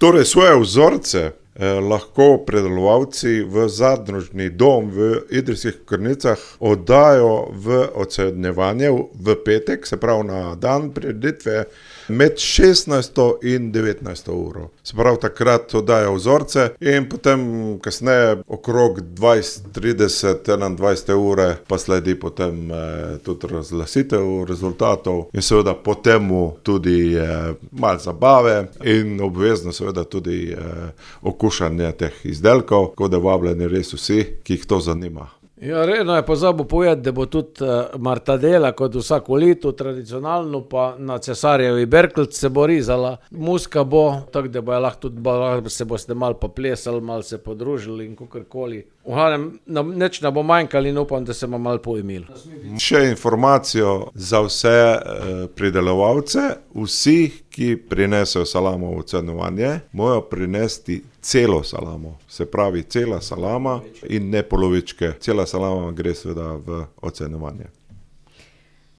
Torej, svoje vzorce lahko predelovalci v zadružni dom v Idrijskih Kokornicah oddajo v ocenjevanje v petek, se pravi na dan prireditve, med 16. in 19. uro. Se pravi, takrat oddajo vzorce in potem kasneje okrog 20, 30, 21. ure pa sledi potem tudi razglasitev rezultatov in seveda po temu tudi malo zabave in obvezno seveda tudi okušanje teh izdelkov, tako da vabljeni res vsi, ki jih to zanima. Ja, redno je pozabil povedati, da bo tudi martadela kot vsako leto, tradicionalno pa na Cesarjevi Berkelc se bo rizala. Muska bo, tako da bojo lahko tudi se boste malo poplesali, malo se podružili in kakorkoli. V glavnem, nič ne bo manjkalo in upam, da se bomo malo poimeli. Še informacijo za vse pridelovalce, vsi, ki prinesejo salamo v ocenjevanje, morajo prinesti celo salamo, se pravi cela salama in ne polovičke. Cela salama gre seveda v ocenjevanje.